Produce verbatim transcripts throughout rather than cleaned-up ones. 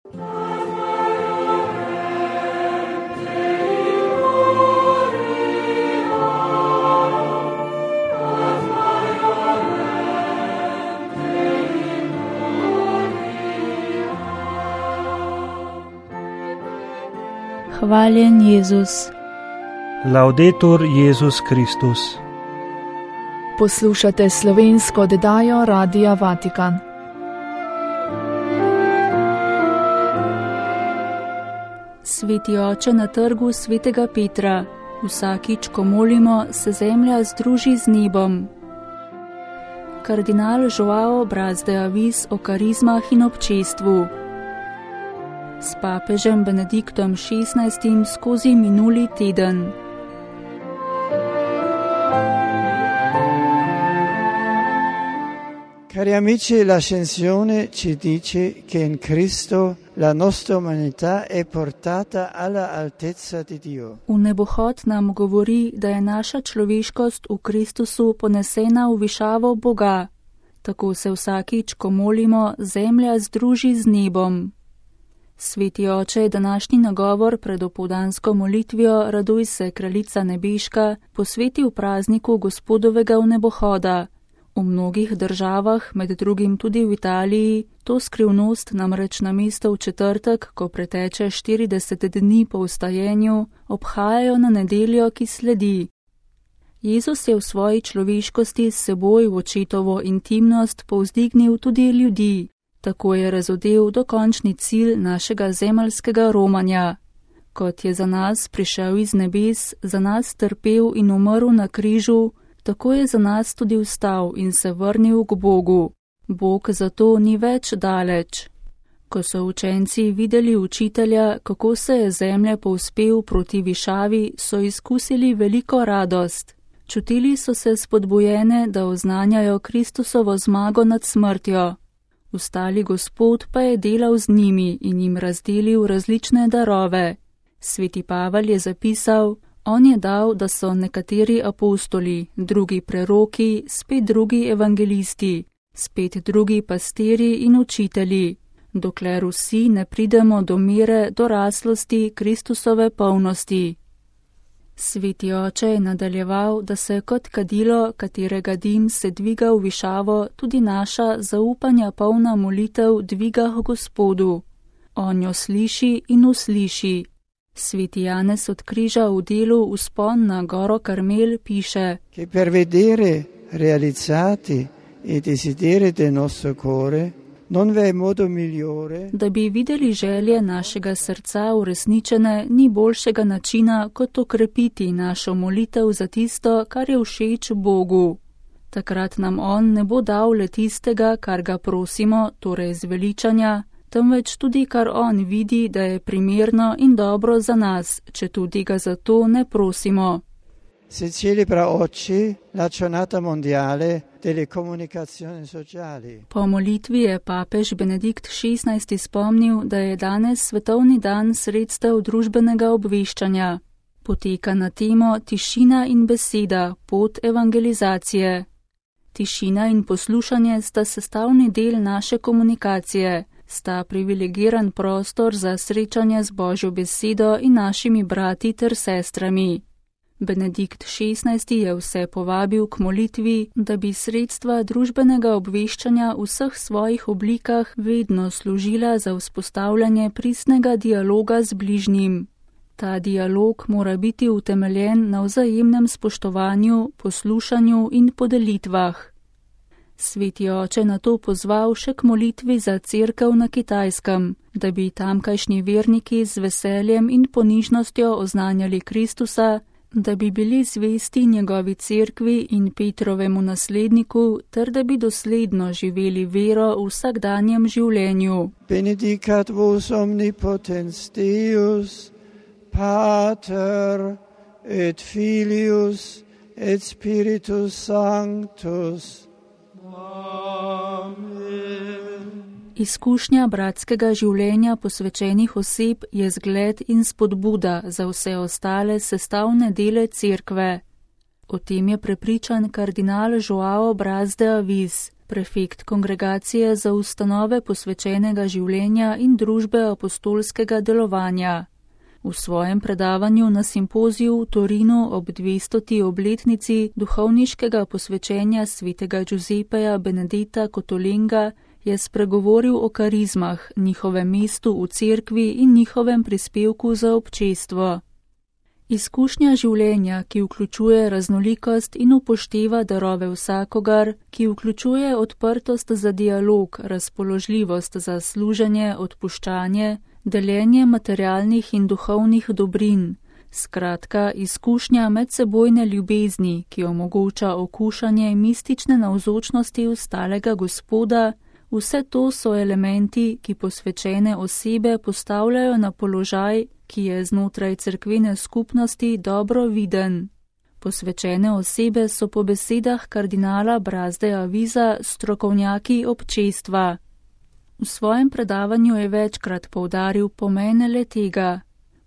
Hvaljen Jezus. Laudetur Jezus Kristus. Poslušate slovensko oddajo Radia Vatikan. Sveti oče na trgu svetega Petra, vsakič, ko molimo, se zemlja združi z nebom. Kardinal Joao Braz de Avis o karizmah in občestvu. S papežem Benediktom šestnajstim skozi minuli teden. Cari amici, l'ascensione ci dice che in Cristo la nostra umanità è portata alla altezza di Dio. V nebohod nam govori, da je naša človeškost v Kristusu ponesena v višavo Boga. Tako se vsakič, ko molimo, zemlja združi z nebom. Sveti oče je današnji nagovor pred opoldansko molitvijo Raduj se, kraljica nebeška, posvetil prazniku Gospodovega vnebohoda. V mnogih državah, med drugim tudi v Italiji, to skrivnost namreč namesto v četrtek, ko preteče štirideset dni po vstajenju, obhajajo na nedeljo, ki sledi. Jezus je v svoji človeškosti s seboj v očetovo intimnost povzdignil tudi ljudi. Tako je razodel dokončni cilj našega zemeljskega romanja. Kot je za nas prišel iz nebes, za nas trpel in umrl na križu, tako je za nas tudi vstal in se vrnil k Bogu. Bog zato ni več daleč. Ko so učenci videli učitelja, kako se je zemlja povzpel proti višavi, so izkusili veliko radost. Čutili so se spodbujene, da oznanjajo Kristusovo zmago nad smrtjo. Vstali Gospod pa je delal z njimi in jim razdelil različne darove. Sveti Pavel je zapisal, on je dal, da so nekateri apostoli, drugi preroki, spet drugi evangelisti, spet drugi pastiri in učitelji, dokler vsi ne pridemo do mere doraslosti Kristusove polnosti. Sveti oče je nadaljeval, da se kot kadilo, katerega dim se dviga v višavo, tudi naša zaupanja polna molitev dviga k Gospodu. On jo sliši in usliši. Sveti Janez od križa v delu Vzpon na goro Karmel piše: Che per vedere realizzati i desideri del nostro cuore non vi è modo migliore. Da bi videli želje našega srca uresničene, ni boljšega načina, kot okrepiti našo molitev za tisto, kar je všeč Bogu. Takrat nam on ne bo dal le tistega, kar ga prosimo, torej zveličanja, temveč tudi kar on vidi, da je primerno in dobro za nas, če tudi ga za to ne prosimo. Si celebra oggi la giornata mondiale delle comunicazioni sociali. Po molitvi je papež Benedikt šestnajsti spomnil, da je danes svetovni dan sredstev družbenega obveščanja. Poteka na temo Tišina in beseda, pot evangelizacije. Tišina in poslušanje sta sestavni del naše komunikacije, sta privilegiran prostor za srečanje z Božjo besedo in našimi brati ter sestrami. Benedikt šestnajsti je vse povabil k molitvi, da bi sredstva družbenega obveščanja v vseh svojih oblikah vedno služila za vzpostavljanje pristnega dialoga z bližnjim. Ta dialog mora biti utemeljen na vzajemnem spoštovanju, poslušanju in podelitvah. Sveti oče na to pozval še k molitvi za cerkev na Kitajskem, da bi tamkajšnji verniki z veseljem in ponižnostjo oznanjali Kristusa, da bi bili zvesti njegovi cerkvi in Petrovemu nasledniku, ter da bi dosledno živeli vero v vsakdanjem življenju. Benedicat vos omnipotens Deus, Pater et Filius et Spiritus Sanctus. Izkušnja bratskega življenja posvečenih oseb je zgled in spodbuda za vse ostale sestavne dele cerkve. O tem je prepričan kardinal Joao Braz de Avis, prefekt kongregacije za ustanove posvečenega življenja in družbe apostolskega delovanja. V svojem predavanju na simpoziju v Torinu ob dvestoti obletnici duhovniškega posvečenja svetega Giuseppeja Benedetta Cotolenga je spregovoril o karizmah, njihovem mestu v cerkvi in njihovem prispevku za občestvo. Izkušnja življenja, ki vključuje raznolikost in upošteva darove vsakogar, ki vključuje odprtost za dialog, razpoložljivost za služenje, odpuščanje, deljenje materialnih in duhovnih dobrin, skratka izkušnja medsebojne ljubezni, ki omogoča okušanje mistične navzočnosti ostalega Gospoda, vse to so elementi, ki posvečene osebe postavljajo na položaj, ki je znotraj cerkvene skupnosti dobro viden. Posvečene osebe so po besedah kardinala Brazde Aviza strokovnjaki občestva. V svojem predavanju je večkrat poudaril pomen le tega.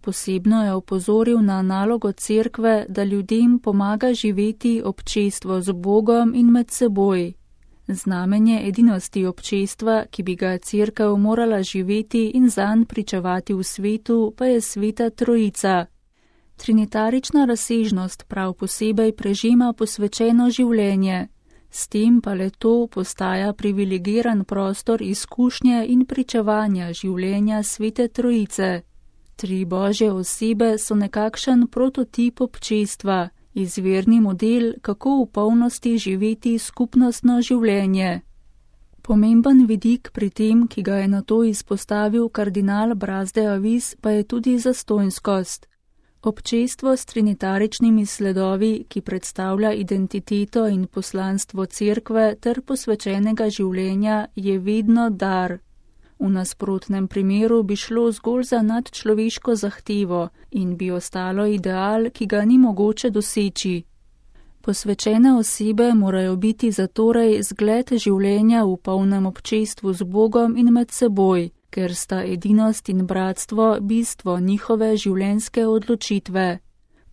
Posebno je opozoril na nalogo cerkve, da ljudem pomaga živeti občestvo z Bogom in med seboj. Znamenje edinosti občestva, ki bi ga cerkev morala živeti in zanj pričevati v svetu, pa je Sveta Trojica. Trinitarična razsežnost prav posebej prežema posvečeno življenje, s tem pa le to postaja privilegiran prostor izkušnje in pričevanja življenja Svete Trojice. Tri Božje osebe so nekakšen prototip občestva, izvirni model, kako v polnosti živeti skupnostno življenje. Pomemben vidik pri tem, ki ga je nato izpostavil kardinal Brazde Aviz, pa je tudi zastonjskost. Občestvo s trinitaričnimi sledovi, ki predstavlja identiteto in poslanstvo cerkve ter posvečenega življenja, je vedno dar. V nasprotnem primeru bi šlo zgolj za nadčloveško zahtevo in bi ostalo ideal, ki ga ni mogoče doseči. Posvečene osebe morajo biti zatorej zgled življenja v polnem občestvu z Bogom in med seboj, ker sta edinost in bratstvo bistvo njihove življenjske odločitve.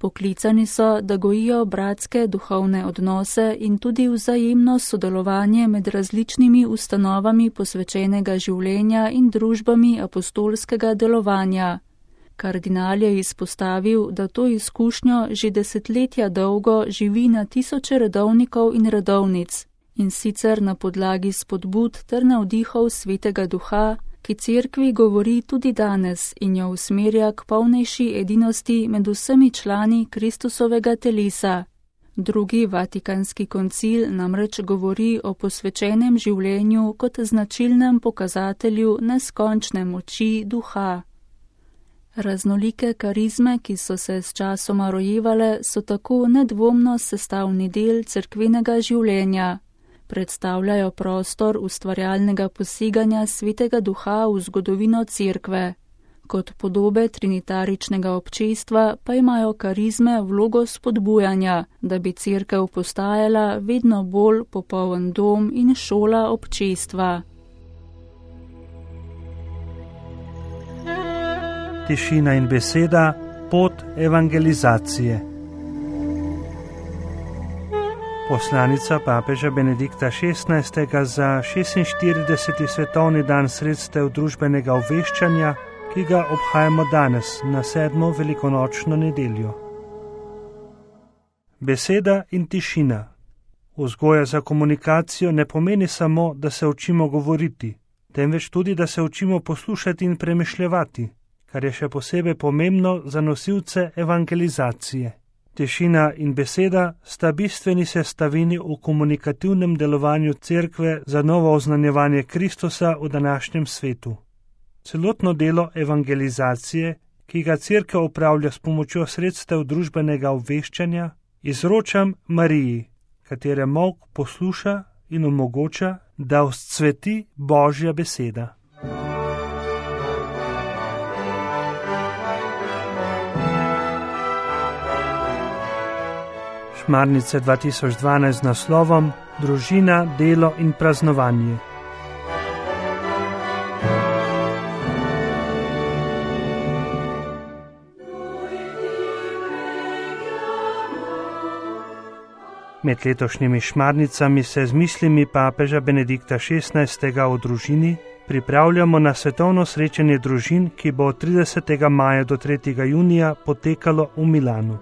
Poklicani so, da gojijo bratske duhovne odnose in tudi vzajemno sodelovanje med različnimi ustanovami posvečenega življenja in družbami apostolskega delovanja. Kardinal je izpostavil, da to izkušnjo že desetletja dolgo živi na tisoče redovnikov in redovnic, in sicer na podlagi spodbud ter navdihov Svetega Duha, ki cerkvi govori tudi danes in jo usmerja k polnejši edinosti med vsemi člani Kristusovega telesa. Drugi Vatikanski koncil namreč govori o posvečenem življenju kot značilnem pokazatelju neskončne moči duha. Raznolike karizme, ki so se s časoma rojevale, so tako nedvomno sestavni del cerkvenega življenja. Predstavljajo prostor ustvarjalnega poseganja Svetega Duha v zgodovino cerkve. Kot podobe trinitaričnega občestva pa imajo karizme vlogo spodbujanja, da bi cerkev postajala vedno bolj popoln dom in šola občestva. Tišina in beseda, pot evangelizacije. Poslanica papeža Benedikta šestnajstega za šestinštirideseti svetovni dan sredstev družbenega obveščanja, ki ga obhajamo danes na sedmo velikonočno nedeljo. Beseda in tišina. Vzgoja za komunikacijo ne pomeni samo, da se učimo govoriti, temveč tudi, da se učimo poslušati in premišljevati, kar je še posebej pomembno za nosilce evangelizacije. Tišina in beseda sta bistveni sestavini v komunikativnem delovanju cerkve za novo oznanjevanje Kristusa v današnjem svetu. Celotno delo evangelizacije, ki ga cerkev opravlja s pomočjo sredstev družbenega obveščanja, izročam Mariji, katere molk posluša in omogoča, da vzcveti Božja beseda. Šmarnice dva tisoč dvanajst z naslovom Družina, delo in praznovanje. Med letošnjimi šmarnicami se z mislimi papeža Benedikta šestnajstega o družini pripravljamo na svetovno srečanje družin, ki bo od tridesetega maja do tretjega junija potekalo v Milanu.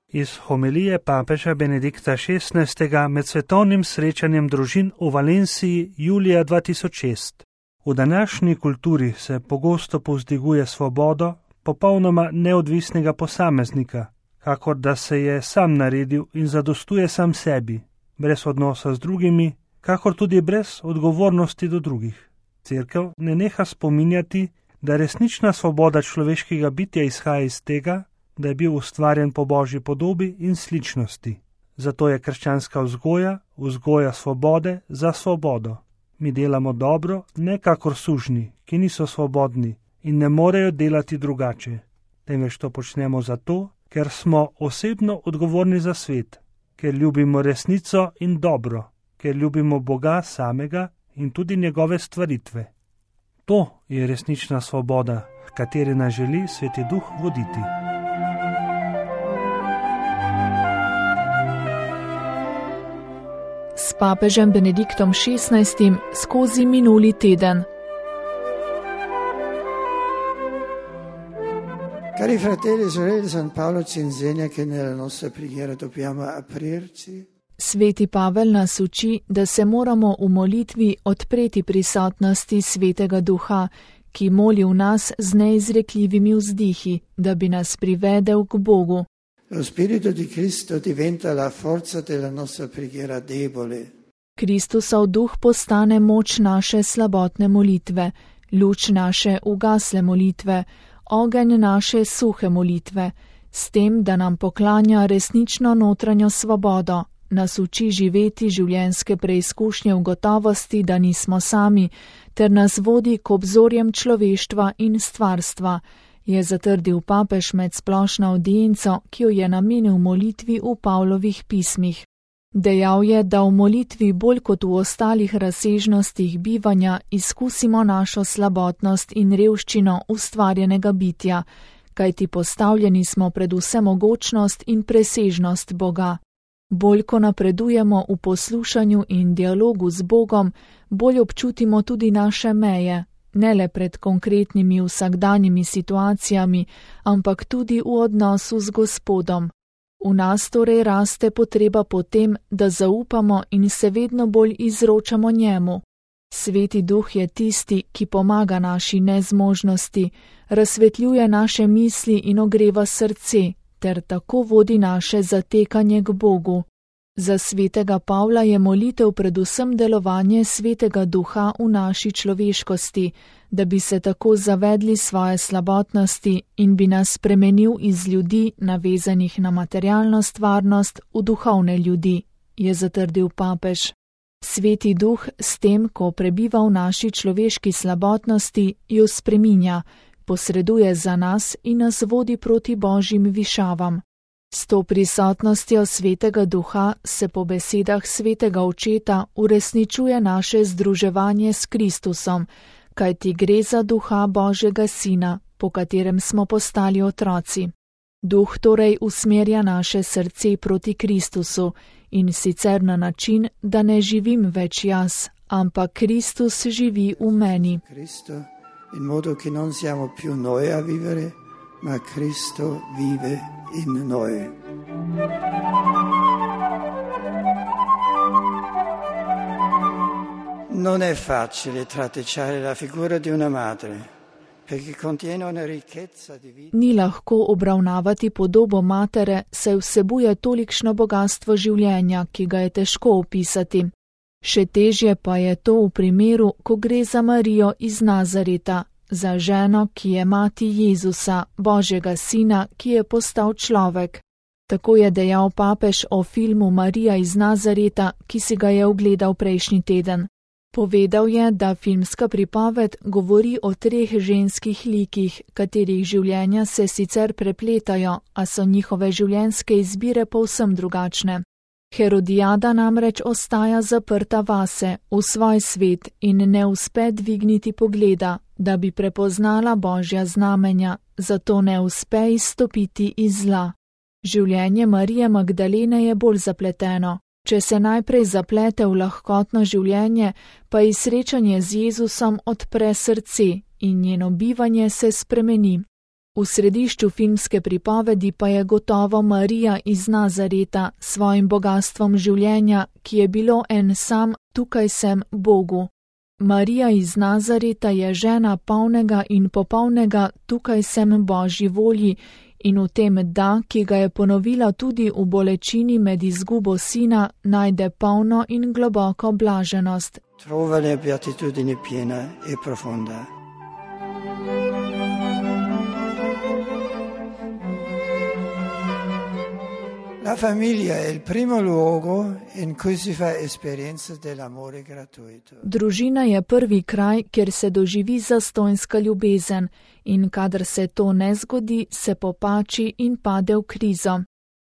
Iz homilije papeža Benedikta šestnajstega med svetovnim srečanjem družin v Valenciji julija dva tisoč šest. V današnji kulturi se pogosto povzdiguje svobodo popolnoma neodvisnega posameznika, kakor da se je sam naredil in zadostuje sam sebi, brez odnosa z drugimi, kakor tudi brez odgovornosti do drugih. Cerkev ne neha spominjati, da resnična svoboda človeškega bitja izhaja iz tega, da je bil ustvarjen po Božji podobi in sličnosti. Zato je krščanska vzgoja, vzgoja svobode za svobodo. Mi delamo dobro, ne kakor sužnji, ki niso svobodni in ne morejo delati drugače. Temveč to počnemo zato, ker smo osebno odgovorni za svet, ker ljubimo resnico in dobro, ker ljubimo Boga samega in tudi njegove stvaritve. To je resnična svoboda, v kateri nas želi Sveti Duh voditi. S papežem Benediktom šestnajstim skozi minuli teden. Cari fratelli e sorelle, San Paolo ci insegna che nella nostra preghiera dobbiamo aprirci. Sveti Pavel nas uči, da se moramo v molitvi odpreti prisotnosti Svetega Duha, ki moli v nas z neizrekljivimi vzdihi, da bi nas privedel k Bogu. Lo Spirito di Cristo diventa la forza della nostra preghiera debole. Kristusov duh postane moč naše slabotne molitve, luč naše ugasle molitve, ogenj naše suhe molitve, s tem, da nam poklanja resnično notranjo svobodo, nas uči živeti življenjske preizkušnje v gotovosti, da nismo sami, ter nas vodi k obzorjem človeštva in stvarstva, je zatrdil papež med splošno avdienco, ki jo je namenil molitvi v Pavlovih pismih. Dejal je, da v molitvi bolj kot v ostalih razsežnostih bivanja izkusimo našo slabotnost in revščino ustvarjenega bitja, kajti postavljeni smo pred vsemogočnost in presežnost Boga. Bolj ko napredujemo v poslušanju in dialogu z Bogom, bolj občutimo tudi naše meje, ne le pred konkretnimi vsakdanjimi situacijami, ampak tudi v odnosu z Gospodom. V nas torej raste potreba po tem, da zaupamo in se vedno bolj izročamo njemu. Sveti Duh je tisti, ki pomaga naši nezmožnosti, razsvetljuje naše misli in ogreva srce, ter tako vodi naše zatekanje k Bogu. Za svetega Pavla je molitev predvsem delovanje Svetega Duha v naši človeškosti, da bi se tako zavedli svoje slabotnosti in bi nas spremenil iz ljudi, navezanih na materialno stvarnost, v duhovne ljudi, je zatrdil papež. Sveti Duh s tem, ko prebiva v naši človeški slabotnosti, jo spreminja, posreduje za nas in nas vodi proti Božjim višavam. S to prisotnostjo Svetega Duha se po besedah Svetega Očeta uresničuje naše združevanje s Kristusom, kajti gre za Duha Božjega Sina, po katerem smo postali otroci. Duh torej usmerja naše srce proti Kristusu in sicer na način, da ne živim več jaz, ampak Kristus živi v meni. Cristo, in modo che non siamo più noi a vivere, ma Cristo vive in noi. Non è facile tratteggiare la figura di una madre, perché contiene una ricchezza di vita. Ni lahko obravnavati podobo matere, saj vsebuje tolikšno bogatstvo življenja, ki ga je težko opisati. Še težje pa je to v primeru, ko gre za Marijo iz Nazareta, za ženo, ki je mati Jezusa, Božjega Sina, ki je postal človek. Tako je dejal papež o filmu Marija iz Nazareta, ki si ga je ogledal prejšnji teden. Povedal je, da filmska pripoved govori o treh ženskih likih, katerih življenja se sicer prepletajo, a so njihove življenjske izbire povsem drugačne. Herodijada namreč ostaja zaprta vase, v svoj svet in ne uspe dvigniti pogleda, da bi prepoznala Božja znamenja, zato ne uspe izstopiti iz zla. Življenje Marije Magdalene je bolj zapleteno. Če se najprej zaplete v lahkotno življenje, pa ji srečanje z Jezusom odpre srce in njeno bivanje se spremeni. V središču filmske pripovedi pa je gotovo Marija iz Nazareta s svojim bogastvom življenja, ki je bilo en sam tukaj sem Bogu. Marija iz Nazareta je žena polnega in popolnega tukaj sem Božji volji in v tem da, ki ga je ponovila tudi v bolečini med izgubo sina, najde polno in globoko blaženost. Trova le beatitudine piena e profonda. La famiglia è il primo luogo in cui si fa esperienza dell'amore gratuito. Družina je prvi kraj, kjer se doživi zastonjska ljubezen in kadar se to ne zgodi, se popači in pade v krizo.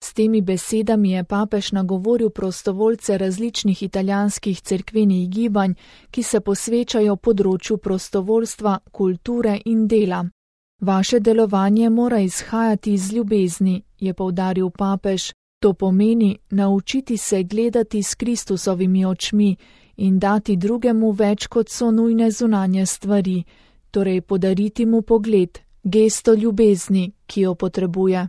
S temi besedami je papež nagovoril prostovoljce različnih italijanskih cerkvenih gibanj, ki se posvečajo področju prostovoljstva, kulture in dela. Vaše delovanje mora izhajati iz ljubezni, je poudaril papež. To pomeni naučiti se gledati s Kristusovimi očmi in dati drugemu več, kot so nujne zunanje stvari, torej podariti mu pogled, gesto ljubezni, ki jo potrebuje.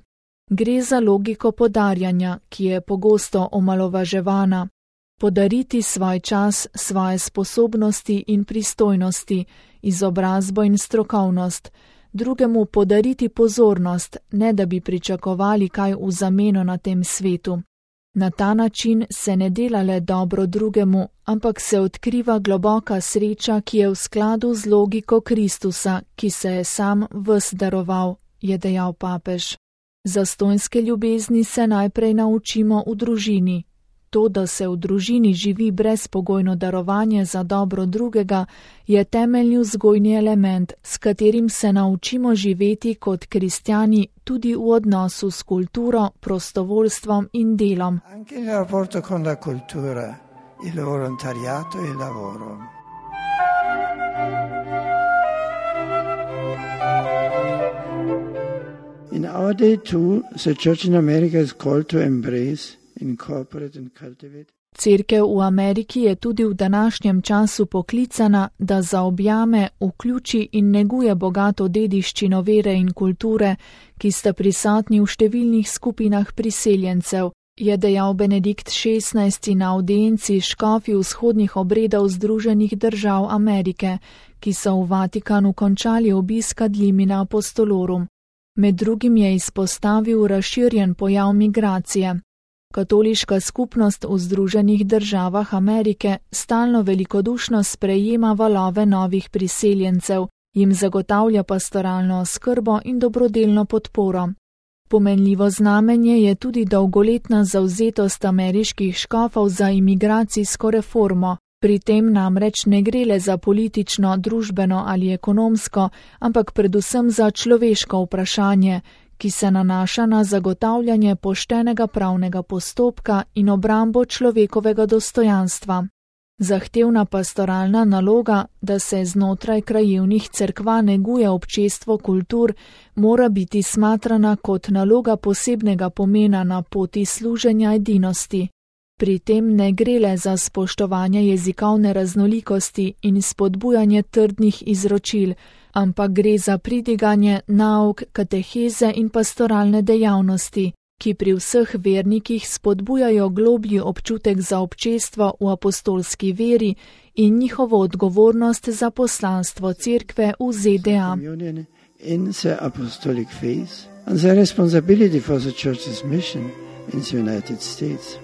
Gre za logiko podarjanja, ki je pogosto omalovaževana. Podariti svoj čas, svoje sposobnosti in pristojnosti, izobrazbo in strokovnost, drugemu podariti pozornost, ne da bi pričakovali kaj v zameno na tem svetu. Na ta način se ne dela le dobro drugemu, ampak se odkriva globoka sreča, ki je v skladu z logiko Kristusa, ki se je sam ves daroval, je dejal papež. Zastonjske ljubezni se najprej naučimo v družini. To, da se v družini živi brezpogojno darovanje za dobro drugega, je temeljni vzgojni element, s katerim se naučimo živeti kot kristjani tudi v odnosu s kulturo, prostovoljstvom in delom. Anche il rapporto con la cultura, il volontariato e il lavoro. In our day too, the Church in America is called to embrace, incorporate and cultivate. Cerkev v Ameriki je tudi v današnjem času poklicana, da zaobjame, vključi in neguje bogato dediščino vere in kulture, ki sta prisotni v številnih skupinah priseljencev, je dejal Benedikt šestnajsti na avdienci škofi vzhodnih obredov Združenih držav Amerike, ki so v Vatikanu končali obisk ad limina apostolorum. Med drugim je izpostavil razširjen pojav migracije. Katoliška skupnost v Združenih državah Amerike stalno velikodušno sprejema valove novih priseljencev, jim zagotavlja pastoralno oskrbo in dobrodelno podporo. Pomenljivo znamenje je tudi dolgoletna zavzetost ameriških škofov za imigracijsko reformo. Pri tem namreč ne gre le za politično, družbeno ali ekonomsko, ampak predvsem za človeško vprašanje, ki se nanaša na zagotavljanje poštenega pravnega postopka in obrambo človekovega dostojanstva. Zahtevna pastoralna naloga, da se znotraj krajevnih cerkva neguje občestvo kultur, mora biti smatrana kot naloga posebnega pomena na poti služenja edinosti. Pri tem ne gre le za spoštovanje jezikovne raznolikosti in spodbujanje trdnih izročil, ampak gre za pridiganje nauk, kateheze in pastoralne dejavnosti, ki pri vseh vernikih spodbujajo globlji občutek za občestvo v apostolski veri in njihovo odgovornost za poslanstvo cerkve v Z D A. In the apostolic faith and the responsibility for the church's mission in the United States.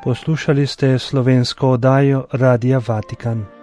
Poslušali ste slovensko oddajo Radia Vatikan.